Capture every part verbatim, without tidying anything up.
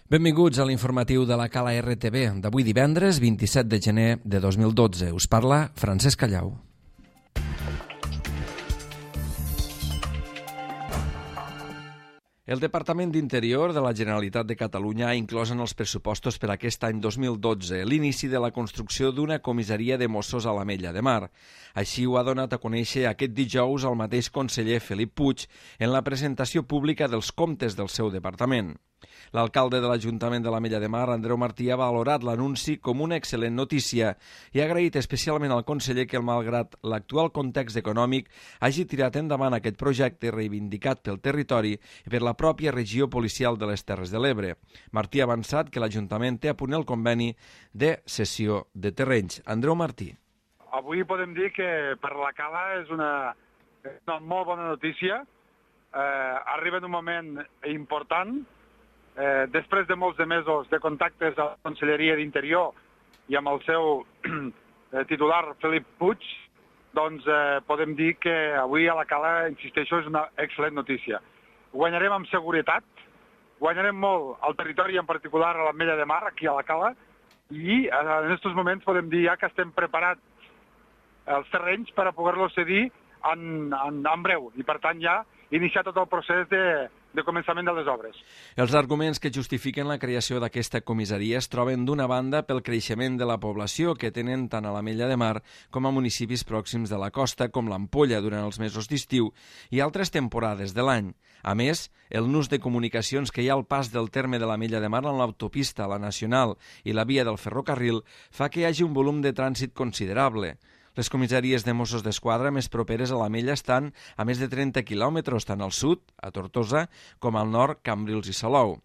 Benvinguts a l'informatiu de la Cala R T V d'avui divendres vint-i-set de gener de dos mil dotze. Us parla Francesc Callau. El Departament d'Interior de la Generalitat de Catalunya ha inclòs en els pressupostos per aquest any dos mil dotze l'inici de la construcció d'una comissaria de Mossos a l'Ametlla de Mar. Així ho ha donat a conèixer aquest dijous el mateix conseller Felip Puig en la presentació pública dels comptes del seu departament. L'alcalde de l'Ajuntament de l'Ametlla de Mar, Andreu Martí, ha valorat l'anunci com una excel·lent notícia i ha agraït especialment al conseller que, malgrat l'actual context econòmic, hagi tirat endavant aquest projecte reivindicat pel territori i per la pròpia regió policial de les Terres de l'Ebre. Martí ha avançat que l'Ajuntament té a punt el conveni de cessió de terrenys. Andreu Martí. Avui podem dir que per la Cala és una, una molt bona notícia. Eh, arriba en un moment important. Eh, després de molts de mesos de contactes a la Conselleria d'Interior i amb el seu eh, titular Felip Puig, doncs eh, podem dir que avui a la Cala, insisteixo, és una excel·lent notícia. Guanyarem amb seguretat, guanyarem molt al territori, en particular a l'Ametlla de Mar, aquí a la Cala, i eh, en aquests moments podem dir ja que estem preparats els terrenys per a poder-los cedir en, en, en breu, i per tant ja iniciar tot el procés de, de començament de les obres. Els arguments que justifiquen la creació d'aquesta comissaria es troben d'una banda pel creixement de la població que tenen tant a l'Ametlla de Mar com a municipis pròxims de la costa com l'Ampolla durant els mesos d'estiu i altres temporades de l'any. A més, el nus de comunicacions que hi ha al pas del terme de l'Ametlla de Mar en l'autopista, la nacional i la via del ferrocarril fa que hi hagi un volum de trànsit considerable. Les comissaries de Mossos d'Esquadra més properes a l'Ametlla estan a més de trenta quilòmetres, tant al sud, a Tortosa, com al nord, Cambrils i Salou.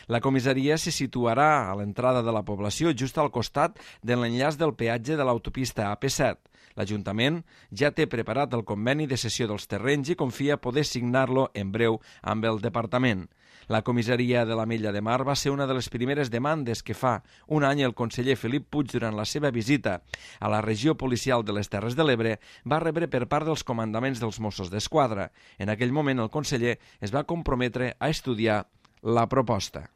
La comissaria se situarà a l'entrada de la població just al costat de l'enllaç del peatge de l'autopista A P set. L'Ajuntament ja té preparat el conveni de cessió dels terrenys i confia poder signar-lo en breu amb el departament. La comissaria de l'Ametlla de Mar va ser una de les primeres demandes que fa un any el conseller Felip Puig durant la seva visita a la regió policial de les Terres de l'Ebre va rebre per part dels comandaments dels Mossos d'Esquadra. En aquell moment el conseller es va comprometre a estudiar la proposta.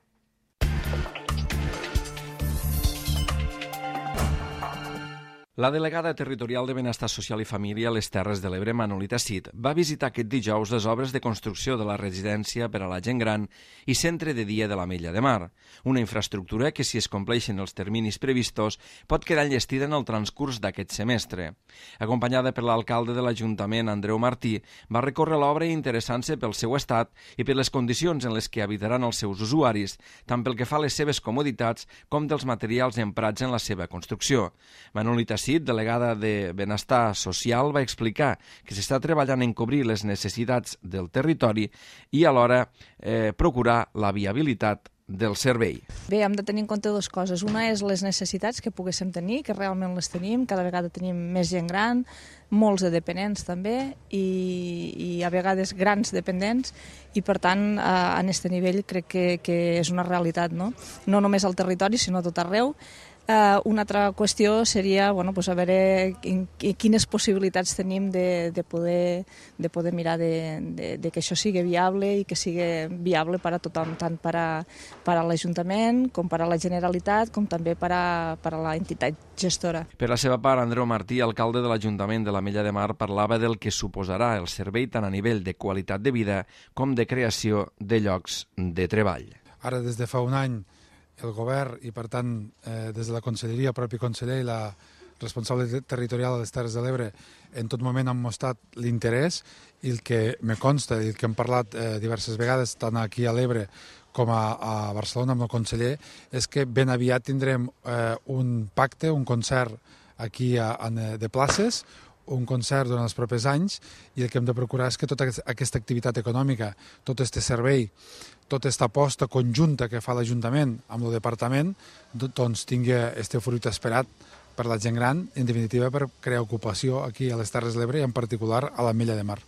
La delegada territorial de Benestar Social i Família a les Terres de l'Ebre, Manolita Cid, va visitar aquest dijous les obres de construcció de la residència per a la gent gran i centre de dia de l'Ametlla de Mar, una infraestructura que, si es compleixen els terminis previstos, pot quedar enllestida en el transcurs d'aquest semestre. Acompanyada per l'alcalde de l'Ajuntament, Andreu Martí, va recórrer l'obra interessant-se pel seu estat i per les condicions en les que habitaran els seus usuaris, tant pel que fa a les seves comoditats com dels materials emprats en la seva construcció. Manolita Cid, delegada de Benestar Social, va explicar que s'està treballant en cobrir les necessitats del territori i alhora eh, procurar la viabilitat del servei. Bé, hem de tenir en compte dues coses. Una és les necessitats que poguéssim tenir, que realment les tenim, cada vegada tenim més gent gran, molts de dependents també, i, i a vegades grans dependents, i per tant, eh, en aquest nivell crec que, que és una realitat, no? No només al territori, sinó a tot arreu. Uh, una altra qüestió seria bueno, pues a veure en, en quines possibilitats tenim de, de, poder, de poder mirar de, de, de que això sigui viable i que sigui viable per a tothom, tant per a, per a l'Ajuntament com per a la Generalitat, com també per a, per a la entitat gestora. Per la seva part, Andreu Martí, alcalde de l'Ajuntament de l'Ametlla de Mar, parlava del que suposarà el servei tant a nivell de qualitat de vida com de creació de llocs de treball. Ara, des de fa un any, el govern i, per tant, eh, des de la Conselleria, el propi conseller i la responsable territorial de les Terres de l'Ebre en tot moment han mostrat l'interès i el que me consta i el que hem parlat eh, diverses vegades, tant aquí a l'Ebre com a, a Barcelona amb el conseller, és que ben aviat tindrem eh, un pacte, un concert aquí a, a, de places, un concert durant els propers anys, i el que hem de procurar és que tota aquesta activitat econòmica, tot aquest servei, tota aquesta aposta conjunta que fa l'Ajuntament amb el Departament, doncs tingui aquest fruit esperat per la gent gran, en definitiva per crear ocupació aquí a les Terres de l'Ebre i en particular a l'Ametlla de Mar.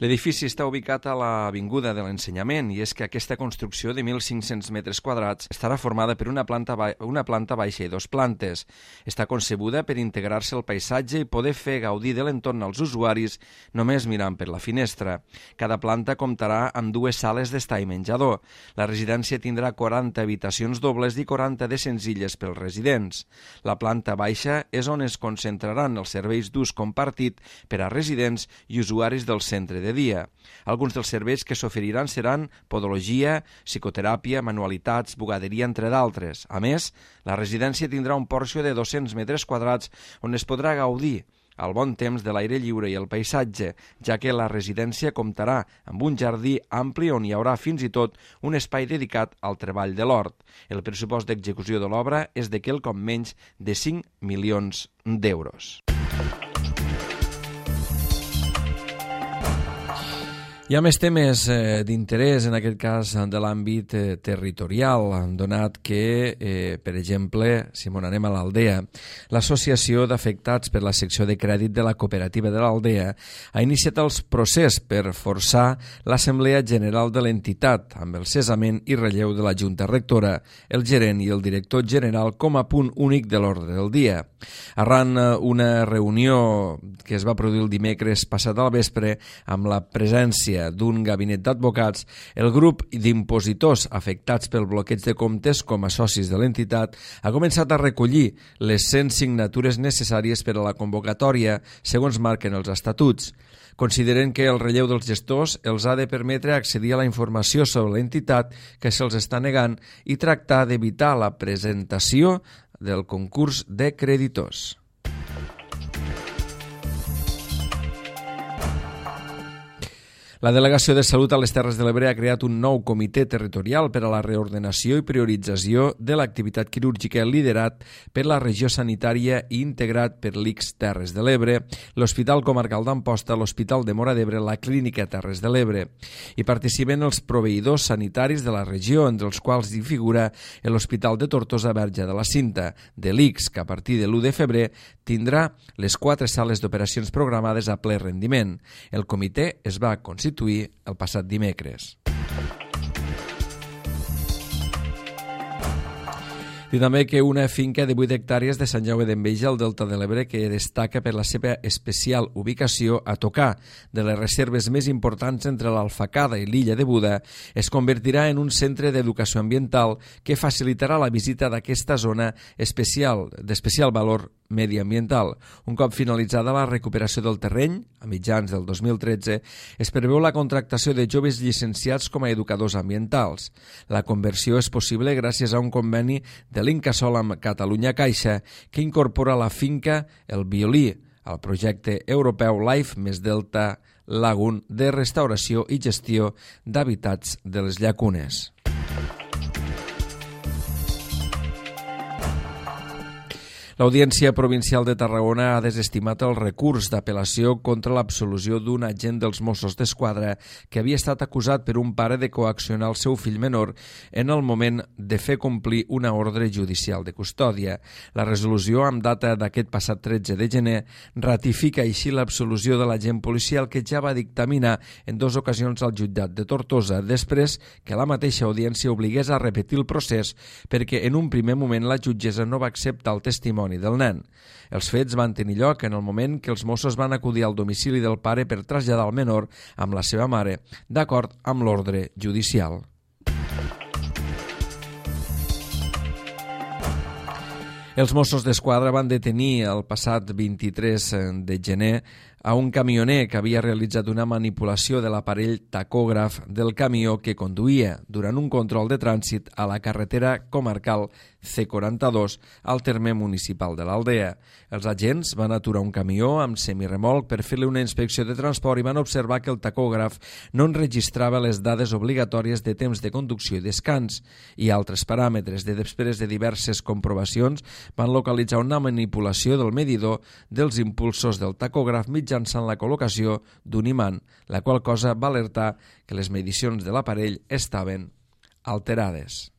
L'edifici està ubicat a l'Avinguda de l'Ensenyament i és que aquesta construcció de mil cinc-cents metres quadrats estarà formada per una planta, ba una planta baixa i dos plantes. Està concebuda per integrar-se al paisatge i poder fer gaudir de l'entorn als usuaris només mirant per la finestra. Cada planta comptarà amb dues sales d'estar i menjador. La residència tindrà quaranta habitacions dobles i quaranta de senzilles pels residents. La planta baixa és on es concentraran els serveis d'ús compartit per a residents i usuaris del centre de dia. Alguns dels serveis que s'oferiran seran podologia, psicoteràpia, manualitats, bugaderia, entre d'altres. A més, la residència tindrà un porxo de dos-cents metres quadrats on es podrà gaudir al bon temps de l'aire lliure i el paisatge, ja que la residència comptarà amb un jardí ampli on hi haurà fins i tot un espai dedicat al treball de l'hort. El pressupost d'execució de l'obra és de quelcom menys de cinc milions d'euros. Hi ha més temes eh, d'interès, en aquest cas de l'àmbit eh, territorial, donat que, eh, per exemple, si m'on anem a l'Aldea, l'Associació d'Afectats per la secció de crèdit de la cooperativa de l'Aldea ha iniciat el procés per forçar l'Assemblea General de l'entitat, amb el cessament i relleu de la Junta Rectora, el gerent i el director general com a punt únic de l'ordre del dia. Arran una reunió que es va produir el dimecres passat al vespre amb la presència d'un gabinet d'advocats, el grup d'impositors afectats pel bloqueig de comptes com a socis de l'entitat ha començat a recollir les cent signatures necessàries per a la convocatòria, segons marquen els estatuts. Consideren que el relleu dels gestors els ha de permetre accedir a la informació sobre l'entitat que se'ls està negant i tractar d'evitar la presentació del concurs de creditors. La Delegació de Salut a les Terres de l'Ebre ha creat un nou comitè territorial per a la reordenació i priorització de l'activitat quirúrgica liderat per la regió sanitària i integrat per l'I C S Terres de l'Ebre, l'Hospital Comarcal d'Amposta, l'Hospital de Móra d'Ebre, la Clínica Terres de l'Ebre. Hi participen els proveïdors sanitaris de la regió, entre els quals hi figura l'Hospital de Tortosa Verge de la Cinta, de l'I C S, que a partir de l'u de febrer tindrà les quatre sales d'operacions programades a ple rendiment. El comitè es va constituir el passat dimecres. I també que una finca de vuit hectàrees de Sant Jaume d'Enveja al Delta de l'Ebre, que destaca per la seva especial ubicació a tocar de les reserves més importants entre l'Alfacada i l'illa de Buda, es convertirà en un centre d'educació ambiental que facilitarà la visita d'aquesta zona especial d'especial valor mediambiental. Un cop finalitzada la recuperació del terreny, a mitjans del dos mil tretze, es preveu la contractació de joves llicenciats com a educadors ambientals. La conversió és possible gràcies a un conveni de l'Incasol amb Catalunya Caixa, que incorpora la finca El Violí al projecte europeu Life més Delta Lagoon de restauració i gestió d'habitats de les llacunes. L'Audiència Provincial de Tarragona ha desestimat el recurs d'apel·lació contra l'absolució d'un agent dels Mossos d'Esquadra que havia estat acusat per un pare de coaccionar el seu fill menor en el moment de fer complir una ordre judicial de custòdia. La resolució, amb data d'aquest passat tretze de gener, ratifica així l'absolució de l'agent policial que ja va dictaminar en dues ocasions al jutjat de Tortosa, després que la mateixa audiència obligués a repetir el procés perquè en un primer moment la jutgessa no va acceptar el testimoni del nen. Els fets van tenir lloc en el moment que els Mossos van acudir al domicili del pare per traslladar el menor amb la seva mare, d'acord amb l'ordre judicial. Els Mossos d'Esquadra van detenir el passat vint-i-tres de gener a un camioner que havia realitzat una manipulació de l'aparell tacògraf del camió que conduïa durant un control de trànsit a la carretera comarcal C quaranta-dos al terme municipal de l'Aldea. Els agents van aturar un camió amb semiremolc per fer-li una inspecció de transport i van observar que el tacògraf no enregistrava les dades obligatòries de temps de conducció i descans i altres paràmetres. De després de diverses comprovacions van localitzar una manipulació del medidor dels impulsos del tacògraf mitjançant la col·locació d'un imant, la qual cosa va alertar que les medicions de l'aparell estaven alterades.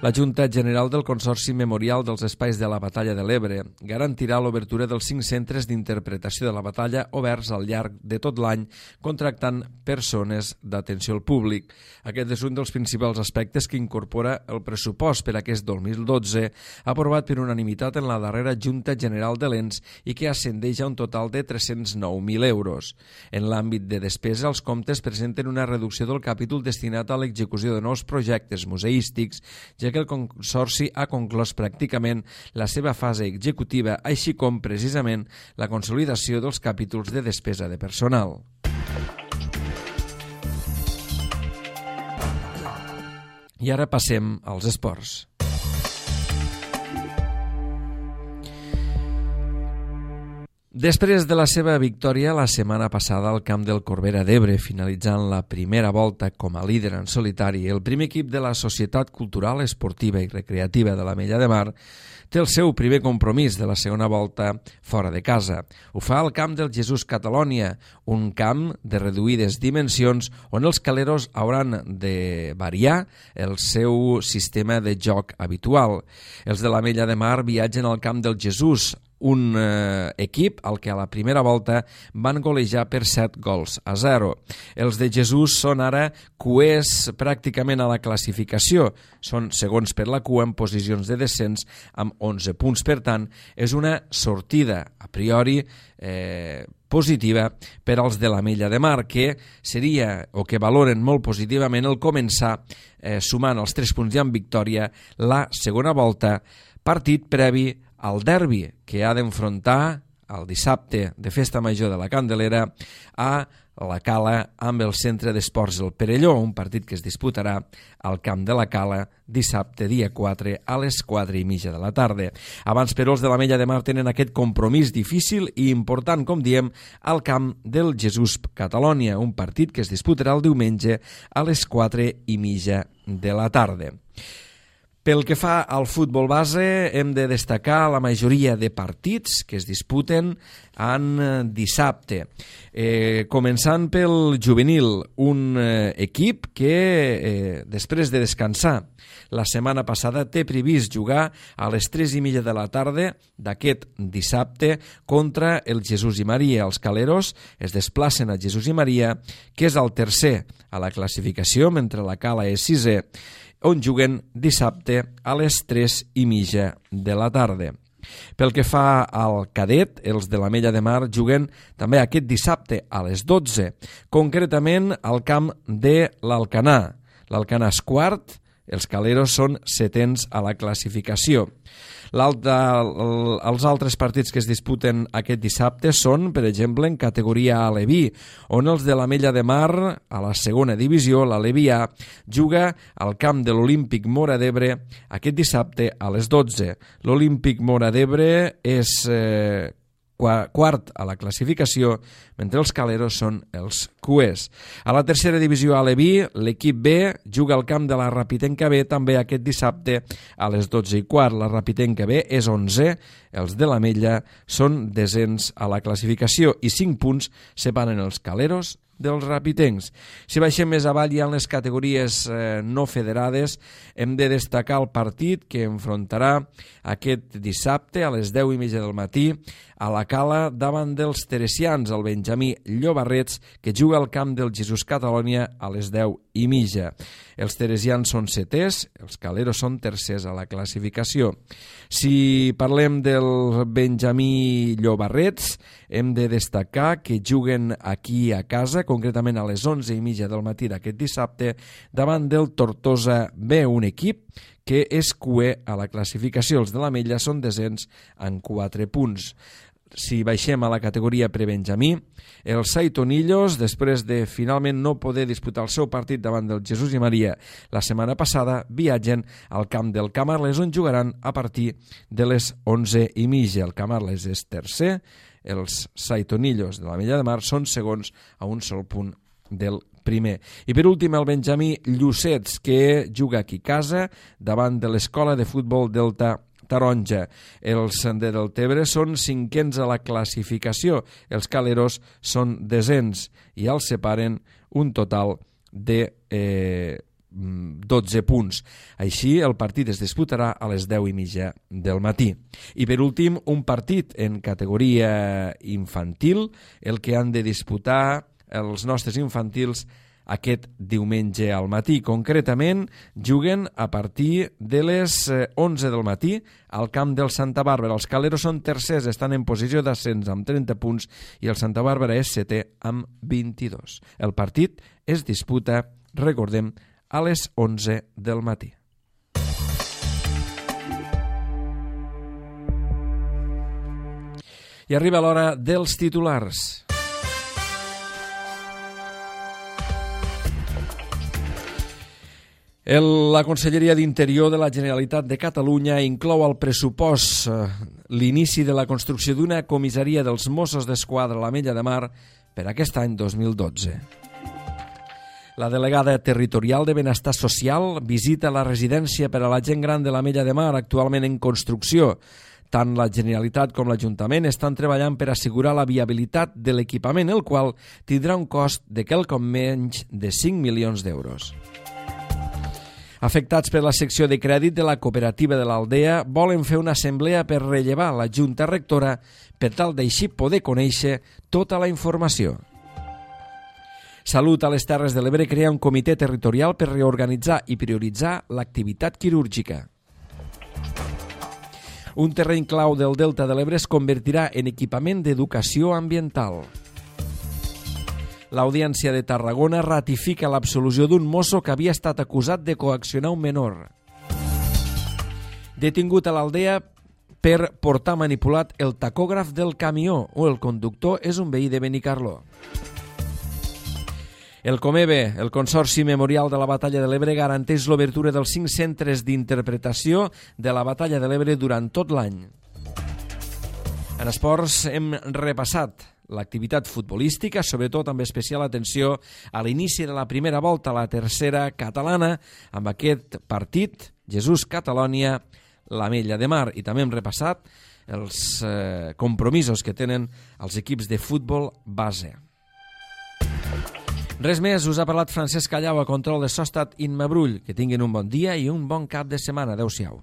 La Junta General del Consorci Memorial dels Espais de la Batalla de l'Ebre garantirà l'obertura dels cinc centres d'interpretació de la batalla oberts al llarg de tot l'any, contractant persones d'atenció al públic. Aquest és un dels principals aspectes que incorpora el pressupost per aquest dos mil dotze, aprovat per unanimitat en la darrera Junta General de l'E N S i que ascendeix a un total de tres-cents nou mil euros. En l'àmbit de despesa, els comptes presenten una reducció del capítol destinat a l'execució de nous projectes museístics, ja que el Consorci ha conclòs pràcticament la seva fase executiva, així com, precisament, la consolidació dels capítols de despesa de personal. I ara passem als esports. Després de la seva victòria la setmana passada al camp del Corbera d'Ebre, finalitzant la primera volta com a líder en solitari, el primer equip de la Societat Cultural, Esportiva i Recreativa de l'Ametlla de Mar té el seu primer compromís de la segona volta fora de casa. Ho fa al camp del Jesús Catalònia, un camp de reduïdes dimensions on els caleros hauran de variar el seu sistema de joc habitual. Els de l'Ametlla de Mar viatgen al camp del Jesús, un eh, equip al que a la primera volta van golejar per set gols a zero. Els de Jesús són ara cuers pràcticament a la classificació. Són segons per la cua en posicions de descens amb onze punts. Per tant, és una sortida a priori eh, positiva per als de l'Ametlla de Mar, que seria o que valoren molt positivament el començar eh, sumant els tres punts i amb victòria la segona volta, partit previ al derbi que ha d'enfrontar el dissabte de Festa Major de la Candelera a la Cala amb el Centre d'Esports El Perelló, un partit que es disputarà al camp de la Cala dissabte dia quatre a les quatre i mitja de la tarda. Abans, però, els de l'Ametlla de Mar tenen aquest compromís difícil i important, com diem, al camp del Jesús Catalònia, un partit que es disputarà el diumenge a les quatre i mitja de la tarda. Pel que fa al futbol base, hem de destacar la majoria de partits que es disputen en dissabte. Eh, començant pel juvenil, un eh, equip que, eh, després de descansar la setmana passada, té previst jugar a les tres i mitja de la tarda d'aquest dissabte contra el Jesús i Maria. Els caleros es desplacen a Jesús i Maria, que és el tercer a la classificació, mentre la Cala és sisè, on juguen dissabte a les tres i mitja de la tarda. Pel que fa al cadet, els de l'Ametlla de Mar juguen també aquest dissabte a les dotze, concretament al camp de l'Alcanar. L'Alcanar és quart, els caleros són setens a la classificació. Els altres partits que es disputen aquest dissabte són, per exemple, en categoria Aleví, on els de l'Ametlla de Mar, a la segona divisió, l'Aleví A, juga al camp de l'Olímpic Móra d'Ebre aquest dissabte a les dotze. L'Olímpic Móra d'Ebre és eh, quart a la classificació, mentre els caleros són els cuers. A la tercera divisió Aleví, l'equip B juga al camp de la Rapitenca B també aquest dissabte a les dotze i quart. La Rapitenca B és onzè, els de l'Ametlla són desens a la classificació i cinc punts separen els caleros dels rapitencs. Si baixem més avall ja en les categories eh, no federades, hem de destacar el partit que enfrontarà aquest dissabte a les deu i mitja del matí a la Cala davant dels teresians, el Benjamí Llobarrets, que juga al camp del Jesús Catalònia a les deu i mitja. Els teresians són setès, els caleros són tercers a la classificació. Si parlem del Benjamí Llobarrets, hem de destacar que juguen aquí a casa, concretament a les onze i mitja del matí d'aquest dissabte, davant del Tortosa B, un equip que és cuer a la classificació. Els de l'Ametlla són desens en quatre punts. Si baixem a la categoria prebenjamí, els Saitonillos, després de finalment no poder disputar el seu partit davant del Jesús i Maria la setmana passada, viatgen al camp del Camarles, on jugaran a partir de les onze i mitja. El Camarles és tercer, els Saitonillos de l'Ametlla de Mar són segons a un sol punt del primer. I per últim el Benjamí Llucets, que juga aquí a casa davant de l'Escola de Futbol Delta Taronja. Els de Deltebre són cinquens a la classificació, els caleros són desens i els separen un total de eh, dotze punts. Així, el partit es disputarà a les deu i mitja del matí. I per últim, un partit en categoria infantil, el que han de disputar els nostres infantils aquest diumenge al matí. Concretament, juguen a partir de les onze del matí al camp del Santa Bàrbara. Els Caleros són tercers, estan en posició d'ascens amb trenta punts i el Santa Bàrbara és setè amb vint-i-dos. El partit es disputa, recordem, a les onze del matí. I arriba l'hora dels titulars. El, la Conselleria d'Interior de la Generalitat de Catalunya inclou al pressupost eh, l'inici de la construcció d'una comissaria dels Mossos d'Esquadra a l'Ametlla de Mar per aquest any dos mil dotze. La delegada territorial de Benestar Social visita la residència per a la gent gran de l'Ametlla de Mar, actualment en construcció. Tant la Generalitat com l'Ajuntament estan treballant per assegurar la viabilitat de l'equipament, el qual tindrà un cost de quelcom menys de cinc milions d'euros. Afectats per la secció de crèdit de la cooperativa de l'Aldea volen fer una assemblea per rellevar la Junta Rectora per tal d'així poder conèixer tota la informació. Salut a les Terres de l'Ebre crea un comitè territorial per reorganitzar i prioritzar l'activitat quirúrgica. Un terreny clau del Delta de l'Ebre es convertirà en equipament d'educació ambiental. L'Audiència de Tarragona ratifica l'absolució d'un mosso que havia estat acusat de coaccionar un menor. Detingut a l'Aldea per portar manipulat el tacògraf del camió o el conductor és un veí de Benicarló. El Comebe, el Consorci Memorial de la Batalla de l'Ebre, garanteix l'obertura dels cinc centres d'interpretació de la Batalla de l'Ebre durant tot l'any. En esports hem repassat l'activitat futbolística, sobretot amb especial atenció a l'inici de la primera volta a la tercera catalana, amb aquest partit, Jesús-Catalònia, l'Ametlla de Mar. I també hem repassat els eh, compromisos que tenen els equips de futbol base. Res més, us ha parlat Francesc Callau, a control de so ha estat Imma Brull. Que tinguin un bon dia i un bon cap de setmana. Adéu-siau.